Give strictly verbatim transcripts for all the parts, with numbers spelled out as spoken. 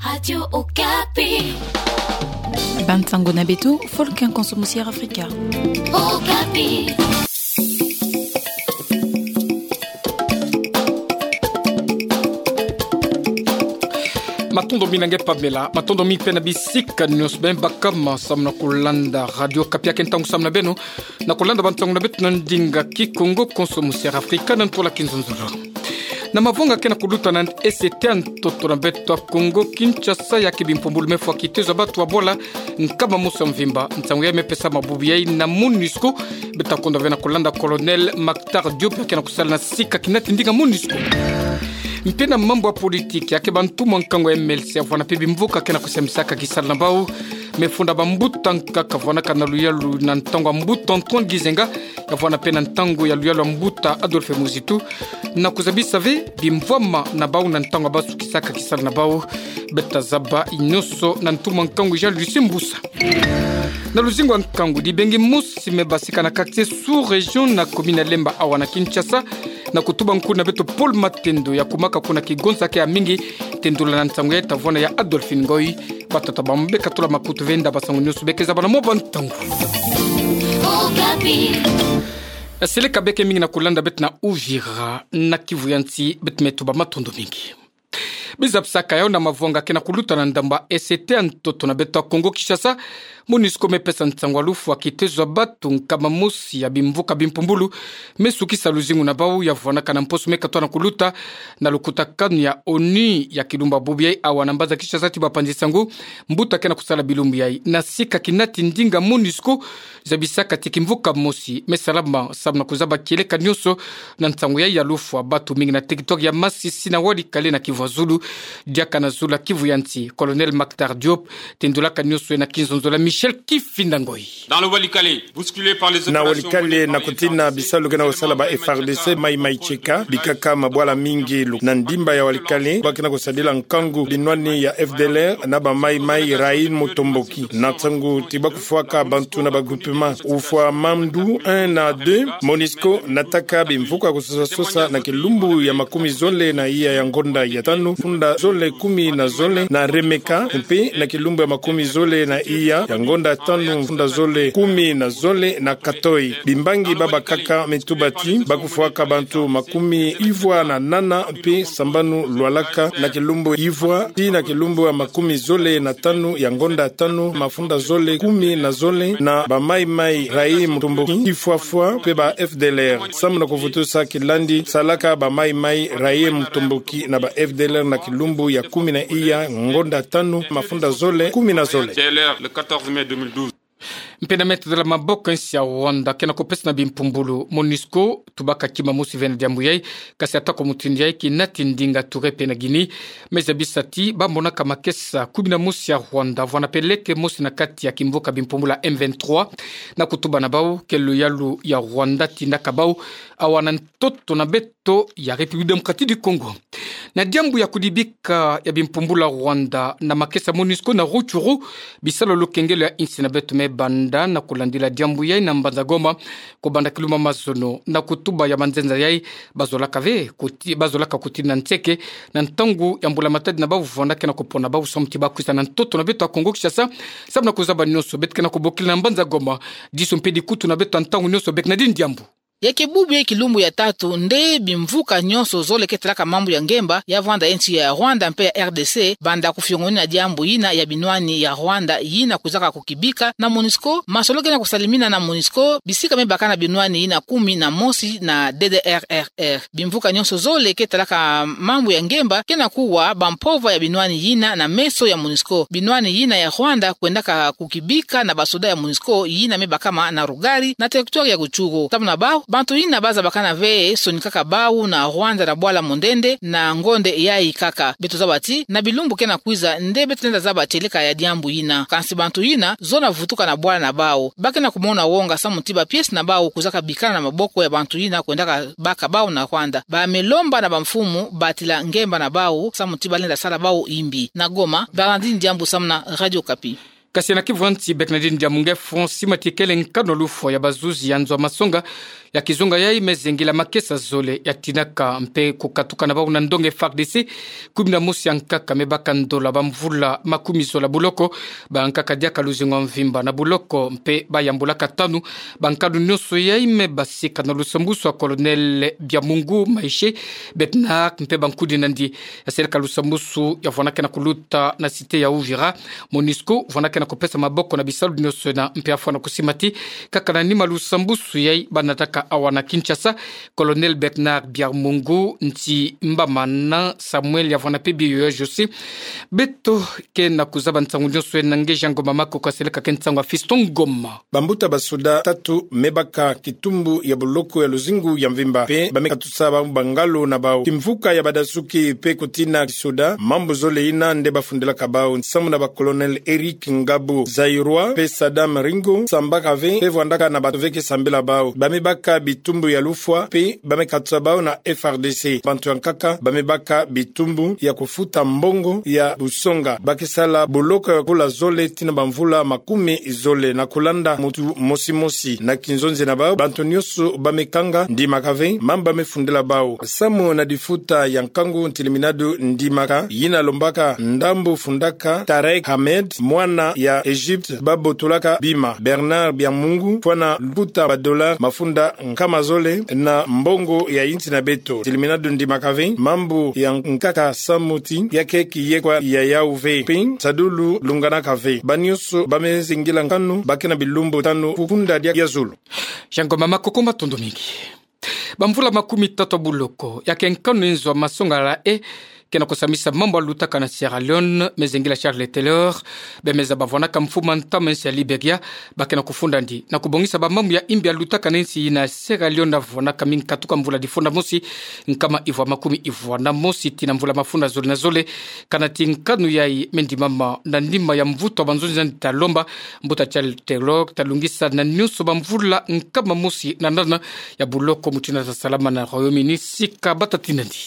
Radio Okapi. Bansango na beto, Volcan Conso Musi Air Africa. Okapi. Matondo mingi na nge Pamela, matondo mingi pe na bisika nyonso beno baka ma samu na kulanda Radio Okapi. Ake ntangu samu na beno na kulanda bansango na beto na ndinga Kikongo, Konso Musi Air Africa, na ntwala Kinzonzolo. Na mavonga ke na kuluta na ese ete ya ntoto na beto ya Kongo Kinshasa, ya ke bimpumbulu me fwa kitezo ya batu ya bola nkama mosi ya mvimba. Nsangu yayi me pesa mabubu yayi na MONUSCO. Beto ta kwenda ve na kulanda Colonel Mactar Diop, ya ke na kusala na sika kinati ndinga MONUSCO. Mpe na mambu ya politiki, ya ke bantumwa nkangu ya M L C ya vwanda pe bimvuka ke na kusambisaka kisala na bau. Me funda bambuta nkaka vwanaka na luyalu na ntangu ya mbuta Antoine Gizenga, ya vwanda pe na ntangu ya luyalu ya mbuta Adolphe Muzitu, na kuzabisa ve bimvwama na bau na ntangu ya ba sukisaka kisala na bau. Beto ta zaba nyonso na ntumwa nkangu Jean Lucien Mbusa. Na luzingu ya nkangu, dibengi mosi me basika na quartier sous-région na commune ya Lemba awa na Kinshasa, na kutuba nkulu na beto Paul Matendo, ya kumaka kuna kigonza ke ya mingi. Tendula na nsangu yayi ta vwanda ya Adolphine Ngoy. Batata bambe katula makutu ve nda bansangu nyonso beke zaba na mwa bantangu. Okapi. Seleka beke mingi na kulanda beto na Uvira na Kivu ya Nsi, beto me tuba matondo mingi. Bizabisaka yawu na mavonga ke na kuluta na ndambu ya ese ete ya ntoto na beto ya Kongo Kinshasa. MONUSCO me pesa nsangu ya lufwa kitezo ya batu nkama mosi ya bimvuka bimpumbulu me sukisa luzingu na bau, ya vwanaka na mposo me katwa na kuluta na lukutakanu ya ONU ya kilumbu ya bubu yayi awa na mbanza Kinshasa, ti bapanzi nsangu mbuta ke na kusala bilumbu yayi na sika kinati ndinga MONUSCO. Zabisaka ti kimvuka mosi me salama samu na kuzaba kieleka nyonso na nsangu yayi ya lufwa batu mingi na territoire ya Masisi na Walikale na Kivu ya Zulu, diaka na zulu ya Kivu ya Nsi. Colonel Mactar Diop tendulaka nyonso na kinzonzolo ya Michel Kifinda Ngoy. Dans le Walikale, bousculé par les opérations menées par les F A R D C. Na Walikale, na kutina bisalu ke na kusala ba F A R D C, Mai Mai Cheka bikaka mabwala mingi lu-, na ndimba ya Walikale, ba ke na kusadila nkangu binwani ya F D L R na ba Mai Mai Raïm Mutomboki. Na ntangu ti ba kufwaka bantu na ba groupement Ufwa Mandu un na deux, MONUSCO nataka bimvuka kusosa sosa na kilumbu ya makumi zole na iya ya ngonda ya tanu, funda zole kumi na zole na Remeka, mpe na kilumbu ya makumi zole na iya ya ngonda tanu, funda zole kumi na zole na Katoi. Bimbangi babakaka me tuba ti ba kufwaka bantu makumi ivwa na nana mpe sambanu lwalaka na kilumbu ivwa tii na kilumbu ya makumi zole na tanu ya ngonda tanu, mafunda zole kumi na zole, na ba Mai Mai Raïm Mutomboki, Tifwafwa mpe ba F D L R. Samu na kuvutusa kilandi salaka ba Mai Mai Raïm Mutomboki na ba F D L R na kilumbu ya kumi na iya ngonda tanu, mafunda zole kumi na zole. Dès le quatorze mai deux mille douze. Mpe na me tadala maboko ya nsi ya Rwanda ke na kupesa na bimpumbulu, MONUSCO tubaka kima mosi ve na diambu yayi. Kasi atako mutindu yayi, kinati ndinga Touré mpe na Guinée me zabisa ti ba monaka makesa kumi na mosi ya Rwanda vwanda peleke mosi na kati ya kimvuka bimpumbulu ya M vingt-trois na kutuba na bau ke luyalu ya Rwanda tindaka bau awa na ntoto na beto ya République Démocratique du Congo. Na diambu ya kudibika ya bimpumbulu ya Rwanda na makesa MONUSCO na Rutshuru, bisalu ya lukengelo ya insi na beto me banda na kulandila diambu yayi na mbanza Goma, kubanda kilumbu ya mazono. Na kutuba ya manzenza yayi, bazolaka ve kuti-, bazolaka kutinda nseke na ntangu ya mbula matadi na bau vwanda ke na kupona bau samu ti ba kwiza na ntoto na beto ya Kongo Kinshasa samu na kuzaba nyonso beto ke na kubokila na mbanza Goma. Disu mpe dikutu na beto ya ntangu nyonso beke na dini diambu. Ya ke bubu yayi kilumbu ya tatu nde bimvuka nyonso zole ke talaka mambu ya ngemba ya vwanda ya nsi ya Rwanda mpe ya R D C banda kufiongonina diambu yina ya binwani ya Rwanda yina kwizaka kukibika na MONUSCO. Masolo ke na kusalimina na MONUSCO, bisika me baka na binwani yina kumi na mosi na D D R R R. Bimvuka nyonso zole ke talaka mambu ya ngemba ke na kuwa bampova ya binwani yina na meso ya MONUSCO. Binwani yina ya Rwanda kwendaka kukibika na basoda ya MONUSCO yina me bakama na Rugari na territoire ya Rutshuru. Samu na bau, bantu yina bazabakana ve sonikaka bau na Rwanda na bwala mondende na ngonde yayi kaka. Beto zaba ti na bilumbu ke na kwiza nde beto lenda zaba tieleka ya diambu yina. Kansi bantu yina zola vutuka na bwala na bau. Ba ke na kumona wonga samu ti ba pièces na bau kwizaka bikana na maboko ya bantu yina kwendaka baka bau na Rwanda. Ba me lomba na bamfumu batila ngemba na bau samu ti ba lenda sala bau yimbi. Na Goma, Bernardine Diambu samu na Radio Okapi. Kasi na kivwanti Bernardine Diamunge, France, simati kele nkanu lufwa ya bazuzi ya nzo masonga ya kizunga yai me zengila makesa zole ya tinaka mpe kukatuka na bau na ndonga F A R D C. Kumi na mosi ya nkaka me baka ndola ba mvula makumi zola buloko, ba nkaka diaka luzingu ya mvimba na buloko mpe ba yambulaka tanu ba nkanu nionso yai me basika na lusambusu ya Colonel Biamungu Maishe Bernard mpe bankudi na ndi. Ya seleka lusambusu ya vwanakana kuluta na cité ya Uvira. MONUSCO vwanakana kupesa maboko na bisalu nionso ena mpe ya fwana kusimati kaka na nima lusambusu yai ba nataka awa na Kinshasa. Colonel Bernard Biamungu, nti mbamana Samuel ya vwana mpe biyo ya Josi. Beto ke na kuzaba nsangu nionso ena nge Jean Ngoma Makoko, ya seleka ke nsangu ya Fiston Ngoma. Bambuta basoda tatu me baka kitumbu ya boloko ya luzingu ya mvimba mpe ba me katusa bau bangalo na bau kimvuka ya badasuki mpe kutina kisoda, mambu zole ina nde bafundilaka bau samu na ba Colonel Eric Ngabo, Zaïrois, mpe Saddam Ringo, sambaka ve mpe vwandaka na bato ve ke sambila bau. Ba me baka bitumbu ya lufwa mpe ba me katusa bau na F A R D C. Bantu ya nkaka ba me baka bitumbu ya kufuta mbongo ya busonga. Ba ke sala boloko ya kula zole tii na bamvula makumi zole na kulanda mutu mosi mosi. Na kinzonzi na bau, bantu nionso ba me kanga ndimaka ve mambu ba me fundila bau. Samu na difuta ya nkangu, Ntilimina du ndimaka yina lombaka ndambu fundaka Tarek Ahmed, mwana ya Egypte, ba botolaka bima Bernard Biamungu, fwana lukuta ba dollars mafunda nkama zole na mbongo ya insi na beto. Ntilimina du ndimaka ve mambu ya nkaka samu ti ya ke kiyekwa ya yau ve. Mpe nsadulu lunganaka ve. Ba nionso ba me zengila nkanu ba ke na bilumbu tanu ku kunda dia zulu. Jean Ngoma Makoko, matondo mingi. Bamvula makumi tatu ya buloko, ya ke nkanu nzo masonga ya e ke na kusambisa mambu ya lutaka na Sierra Leone, me zengila Charles Taylor, be me zaba vwanaka mfumu ya ntama nsi ya Liberia, ba ke na kufunda ndi na kubongisa bamambu ya imbi ya lutaka na nsi ina Sierra Leone ya vwanaka mingi katuka mvula difunda mosi, nkama ivwa makumi ivwa na mosi tii na mvula mafunda zole na zole. Kana ti nkanu yai me ndimama na nima ya mvutu ya banzonzi na ndi, ta lomba mbuta Charles Taylor ta lungisa na nionso bamvula nkama mosi na nana ya buloko mutindu ta salama na Royaume-Uni sika bata tii na ndi.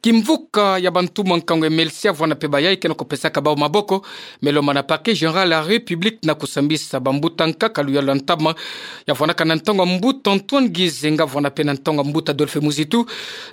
Kimvuka ya bantumwa nkangu M L C ya vwana mpe bayai ke na kupesaka bau maboko, me lomba na Parquet Général ya République na kusambisa bambuta nkaka luyalu ya ntama, ya vwanaka na ntangu ya mbuta Antoine Gizenga, vwana mpe na ntangu ya mbuta Adolphe Muzitu,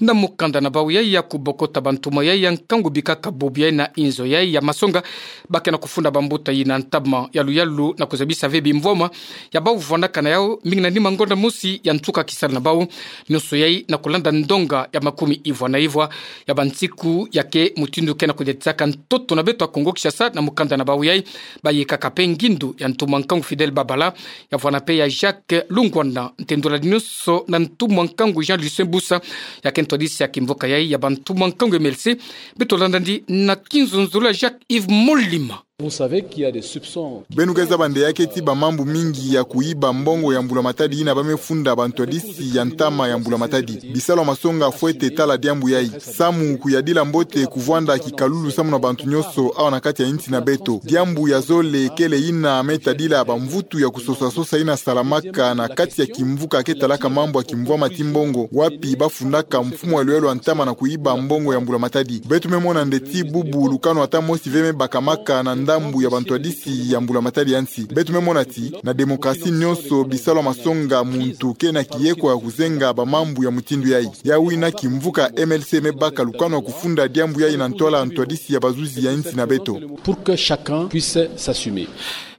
na mukanda na bau yai ya kubokota bantumwa yai ya nkangu bikaka bubu yai na inzo yai ya masonga. Ba ke na kufunda bambuta yina ntama ya luyalu na kuzabisa ve bimvwama ya bau vwanaka na yau, mingi na nima ngonda mosi ya nsuka kisalu na bau. Nionso yai na kulanda ndonga ya makumi ivwa na ivwa ya bansiku ya ke mutindu ke na kudiatisaka ntoto na beto ya Kongo Kinshasa na mukanda na bau yai. Bayekaka mpe ngindu ya ntumwa nkangu Fidèle Babala, ya vwana mpe ya Jacques Lungwana, ntendula nionso na ntumwa nkangu Jean Lucien Busa, ya ke ntwadisi ya kimvuka yai ya bantumwa nkangu M L C. Beto landa ndi na kinzonzolo ya Jacques Yves Molima. Vous savez qu'il y a des soupçons. Beno ke zaba nde ya ke ti bamambu mingi ya kuyiba mbongo ya mbula matadi yina ba me funda bantwadisi ya ntama ya mbula matadi. Bisalu ya masonga fwete tala diambu yai. Samu kuyadila mbote kuvwanda kikalulu samu na bantu nionso awa na kati ya insi na beto. Diambu ya zole kele yina me tadila bamvutu ya kusosa-sosa yina salamaka na kati ya kimvuka ke talaka mambu ya kimvwama ti mbongo, wapi ba fundaka mfumu ya luyalu ya ntama na kuyiba mbongo ya mbula matadi. Beto me mona nde ti bubu lukanu ata mosi ve me bakamaka na ndambu ya bantwadisi ya mbula matadi ya nsi. Beto me mona ti na démocratie nionso bisalu ya masonga muntu ke na kiyekwa ya kuzenga bamambu ya mutindu yai. Yau yina kimvuka M L C me baka lukanu ya kufunda diambu yai na ntwala ntwadisi ya bazuzi ya insi na beto. Pour que chacun puisse s'assumer.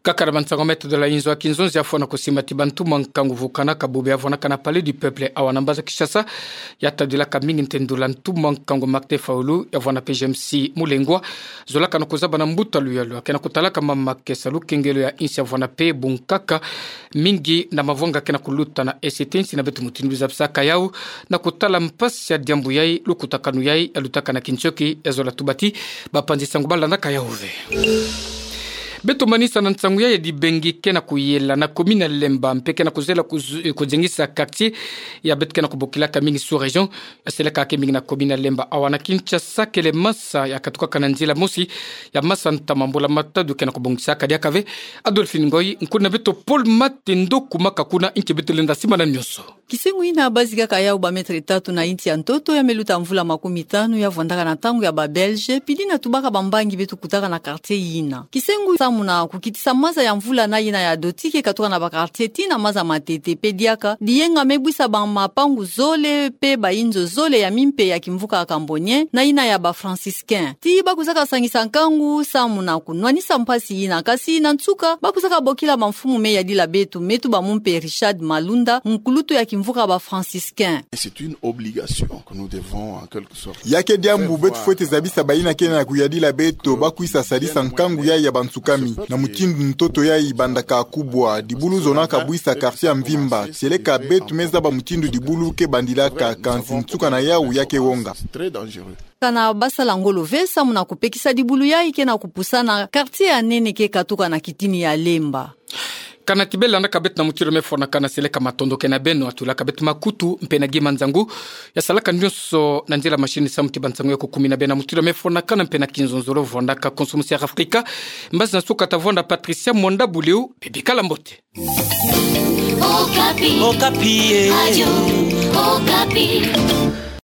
Kaka na bansango me tadula inzo ya kinzonzi ya fwana kusima ti bantumwa nkangu vukanaka bubu ya vwanaka na Palais du Peuple awa na mbanza Kinshasa, ya tadulaka mingi ntendula ntumwa nkangu Martin Fayulu, ya vwana mpe James Mulengwa, zolaka na kuzaba na mbuta luyalu ya ke na kutalaka mama ke sa lukengelo ya insi, ya vwana mpe bunkaka mingi na mavwanga ke na kuluta na E C T, insi na beto mutindu zabisaka yau, na kutala mpasi ya diambu yai, lukutakanu yai ya lutaka na kinsioki, ya zola tuba ti bapanzi sango ba landaka yau ve. Beto manisa na nsango yai ya dibengi ke na kuyela na commune ya Lemba, mpe ke na kuzela kuzu-, kuzengisa quartier ya beto ke na kubokilaka mingi sous-région, ya seleka ke mingi na commune ya Lemba. Awa na Kinshasa kele masa ya katukaka na nzila mosi ya masa ntama mbula matadi ke na kubongisaka diaka ve. Adolphine Ngoyi, nkuna beto Paul Matendo Kumaka kuna, nki beto lenda simana nionso. Kisengo ina bazikaka yau ba mètre tatu na inti ya ntoto ya meluta mvula makumi tanu ya vwandaka na ntangu ya ba Belge, pidi na tubaka bambangi beto kutaka na quartier ina. Kisengo samu na kukitisa maza ya mvula na ina ya doti ke katuka na ba quartier tii na maza matete pe diaka, diyenga me bwisa ba mapangu zole pe ba inzo zole ya mimpe ya kimvuka Cambonien, na ina ya ba Franciscain. Tii bakwizaka sangisa nkangu samu na kunwanisa mpasi ina, kasi na nsuka, bakwizaka bokila bamfumu me yadila beto, me tuba mumpe Richard Malunda, nkulutu ya kimvuka ba Franciscain. Et c'est une obligation que nous devons, en quelque sorte, ya ke diambu beto fwete zabisa bayina ke na kuyadila beto, bakwisa sadisa nkangu yayi ya bansukami, na mutindu ntoto yayi bandaka kubwa, dibulu zonaka bwisa quartier ya mvimba, tieleka beto me zaba mutindu dibulu ke bandilaka, kansi nsuka na yau ya ke wonga. C'est très dangereux. Kana basala ngolo ve samu na kupekisa dibulu yayi ke na kupusa na quartier ya nene ke katuka na kitini ya Lemba. Kana ti bela na ka beto na mutido me fwanakana, seleka matondo ke na beno atulaka beto makutu mpe na gi manzangu ya salaka nyonso na nzila machine samu ti bansangu ya kukumina beno na mutido me fwanakana mpe na kinzonzolo. Vwandaka konso musi ya Afrika. Mbazi na suka tavwanda Patricia Mwanda Buliu, bibikala mbote. Okapi. Okapi, eh. Radio Okapi.